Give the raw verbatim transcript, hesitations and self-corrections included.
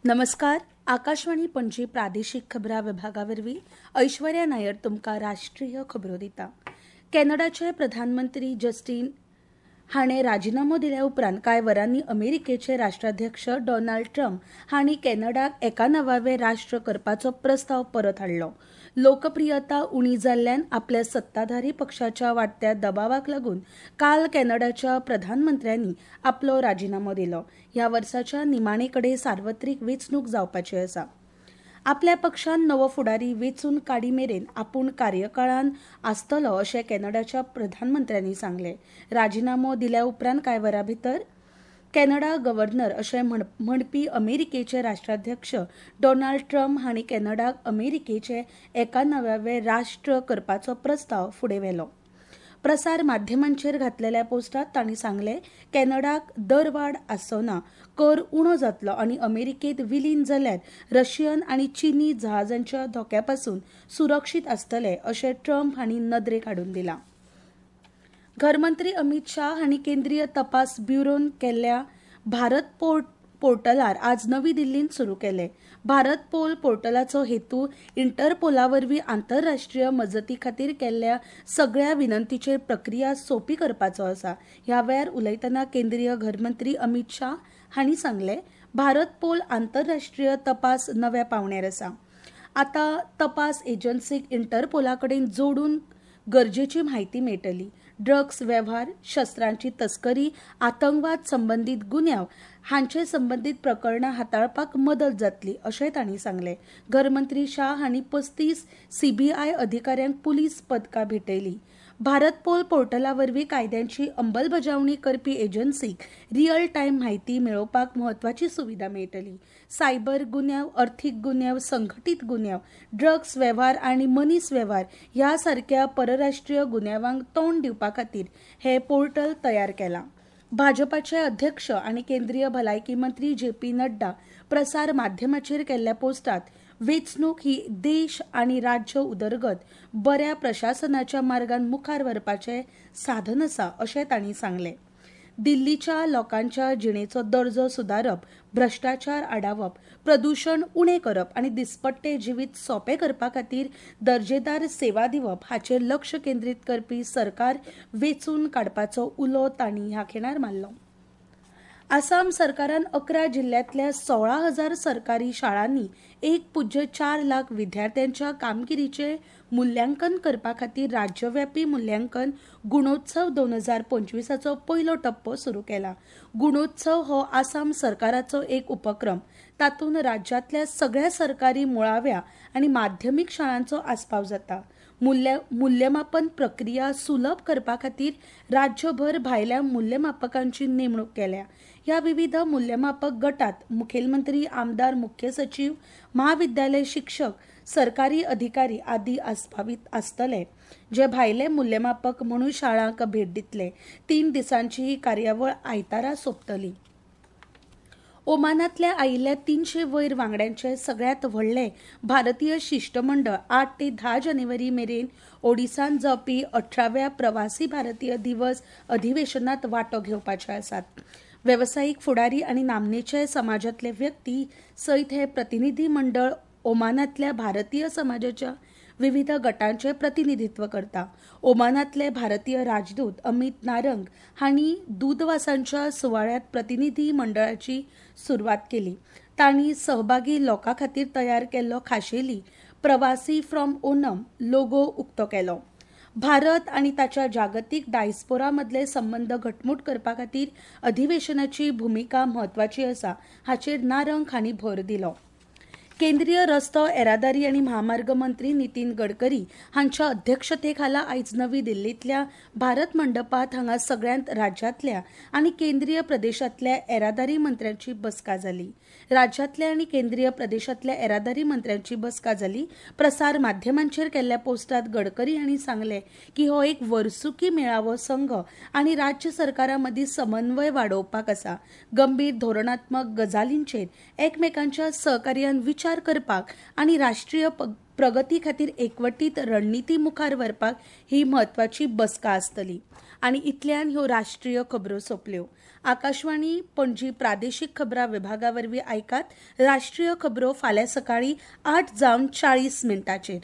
नमस्कार, आकाशवाणी पणजी प्रादेशीक खबरां विभागा वरवीं ऐश्वर्या नायर तुमकां राष्ट्रीय खबरो दिता. कॅनडाचे प्रधानमंत्री जस्टीन हाणें राजिनामो दिल्या उपरांत कांय वरांनी अमेरिकेचे राष्ट्राध्यक्ष डोनाल्ड ट्रम्प हांणी कॅनडाक एकानवावें राष्ट्र करपाचो प्रस्ताव परत हाडलो. लोकप्रियता उणी जाल्ल्यान आपल्या सत्ताधारी पक्षाच्या वाडट्या दबावाक लागून काल कॅनडाच्या प्रधानमंत्र्यांनी आपलो राजिनामो दिलो. ह्या वर्साच्या निमाणे कडेन सार्वत्रिक वेंचणूक जावपाची आसा. आपल्या पक्षान नवो फुडारी वेंचून काडी मेरेन आपूण कार्यकाळान आसतलो अशें कॅनडाच्या प्रधानमंत्र्यांनी सांगलें. राजिनामो दिल्या उपरांत कांय वरां भितर कॅनडा गव्हर्नर अशें म्हणपी अमेरिकेचे राष्ट्राध्यक्ष डोनाल्ड ट्रम्प हांणी कॅनडाक अमेरिकेचे एकानव्यावे राष्ट्र करपाचो प्रस्ताव फुडें व्हेलो. प्रसार माध्यमांचेर घातलेल्या पोस्टात तांणी सांगलें, कॅनडाक दरवाड आसचो ना, कर उणो जातलो आनी अमेरिकेंत विलीन जाल्यार रशियन आनी चीनी जहाजांच्या धोक्या पसून सुरक्षीत आसतले अशें ट्रम्प हांणी नदरेक हाडून दिलां. घरमंत्री अमित शाह हांणी केंद्रीय तपास ब्युरोन केल्ल्या भारत पोर्ट पोर्टलार आज नवी दिल्लींत सुरू केले. भारत पोल पोर्टलाचो हेतू इंटरपोला वरवीं आंतरराष्ट्रीय मजती खातीर केल्ल्या सगळ्या विनंतीचेर प्रक्रिया सोंपी करपाचो आसा. ह्या वेळार उलयतना केंद्रीय घरमंत्री अमित शाह हांणी सांगलें, भारत पोल आंतरराष्ट्रीय तपास नव्या पांवड्यार आसा. आतां तपास एजन्सीक इंटरपोला कडेन जोडून गरजेची म्हायती मेळटली. ड्रग्स वेव्हार, शस्त्रांची तस्करी, आतंकवाद संबंदीत गुन्यांव हांचे संबंदीत प्रकरणां हाताळपाक मदत जातली अशें तांणी सांगलें. घरमंत्री शाह हांणी पस्तीस सीबीआय अधिकाऱ्यांक पुलीस पदकां भेटयली. भारत पोल पोर्टला वरवीं कायद्यांची अंमलबजावणी करपी एजन्सीक रियल टायम म्हायती मेळोवपाक म्हत्वाची सुविधा मेळटली. सायबर गुन्यांव, अर्थीक गुन्यांव, संघटीत गुन्यांव, ड्रग्स वेव्हार आनी मनीस वेव्हार ह्या सारक्या परराष्ट्रीय गुन्यांवांक तोंड दिवपा खातीर हें पोर्टल तयार केलां. भाजपाचे अध्यक्ष आनी केंद्रीय भलायकी मंत्री जे पी नड्डा प्रसार माध्यमाचेर केल्ल्या पोस्टात वेंचणूक ही देश आनी राज्य उदरगत बऱ्या प्रशासनाच्या मार्गान मुखार व्हरपाचें साधन आसा अशें तांणी सांगलें. दिल्लीच्या लोकांच्या जिणेचो दर्जो सुदारप, भ्रश्टाचार आडावप, प्रदूशण उणें करप आनी दिसपट्टे जिवीत सोंपें करपा खातीर दर्जेदार सेवा दिवप हाचेर लक्ष केंद्रीत करपी सरकार वेंचून काडपाचो उलो तांणी ह्या खिणार मारलो. आसाम सरकारान अकरा जिल्ल्यांतल्या सोळा हजार सरकारी शाळांनी एक पुज्य चार लाख विद्यार्थ्यांच्या कामगिरीचें मुल्यांकन करपा खातीर राज्यव्यापी मुल्यांकन गुणोत्सव दोन हजार पंचवीसाचो पयलो टप्पो सुरू केला. गुणोत्सव हो आसाम सरकाराचो एक उपक्रम. तातूंत राज्यांतल्या सगळ्या सरकारी मुळाव्या आनी माध्यमीक शाळांचो आस्पाव जाता. मूल्य मूल्यमापन प्रक्रिया सुलभ करपा खातीर राज्यभर भायल्या मूल्यमापकांची नेमणूक केल्या. ह्या विविध मूल्यमापक गटात मुखेलमंत्री, आमदार, मुख्य सचीव, म्हाविद्यालय शिक्षक, सरकारी अधिकारी आदी आस्पावीत आसतले, जे भायले मूल्यमापक म्हणून शाळांक भेट दितले. तीन दिसांची ही कार्यावळ आयतारा सोंपतली. ओमानांतल्या आयिल्ल्या तिनशे वयर वांगड्यांचे सगळ्यांत व्हडलें भारतीय शिश्टमंडळ आठ ते धा जानेवारी मेरेन ओडिसांत जावपी अठराव्या प्रवासी भारतीय दिवस अधिवेशनात वांटो घेवपाचे आसात. वेवसायीक फुडारी आनी नामनेचे समाजांतले व्यक्ती सयत हे प्रतिनिधी मंडळ ओमानांतल्या भारतीय समाजाच्या विविध गटांचे प्रतिनिधित्व करता. ओमानांतले भारतीय राजदूत अमित नारंग हांणी दूतवासांच्या सुवाळ्यांत प्रतिनिधी मंडळाची सुरवात केली. तांणी सहभागी लोकां खातीर तयार केल्लो खाशेली प्रवासी फ्रॉम ओनम लोगो उक्तो केलो. भारत आनी ताच्या जागतीक डायस्पोरा मदले संबंद घटमूट करपा खातीर अधिवेशनाची भुमिका म्हत्वाची आसा हाचेर नारंग हांणी भर दिलो. केंद्रीय रस्तो येरादारी आनी म्हामार्ग मंत्री नितीन गडकरी हांच्या अध्यक्षतेखाला आयज नवी दिल्लींतल्या भारत मंडपात हांगा सगळ्यांत राज्यांतल्या आनी केंद्रीय प्रदेशांतल्या येरादारी मंत्र्यांची बसका जाली. राज्यांतल्या आनी केंद्रीय प्रदेशांतल्या येरादारी मंत्र्यांची बसका जाली. प्रसार माध्यमांचेर केल्ल्या पोस्टात गडकरी हांणी सांगलें की हो एक वर्सुकी मेळावो संघ आनी राज्य सरकारां मदीं समन्वय वाडोवपाक आसा. गंभीर धोरणात्मक गजालींचेर एकमेकांच्या सहकार्यान विचार विचार करपाक आनी राष्ट्रीय प्रगती खातीर एकवटीत रणनिती मुखार व्हरपाक ही म्हत्वाची बसका आसतली. आनी इतल्यान ह्यो राष्ट्रीय खबरो सोंपल्यो. आकाशवाणी पणजी प्रादेशीक खबरां विभागा वरवीं आयकात राष्ट्रीय खबरो फाल्यां सकाळीं आठ जावन चाळीस मिनटांचेर.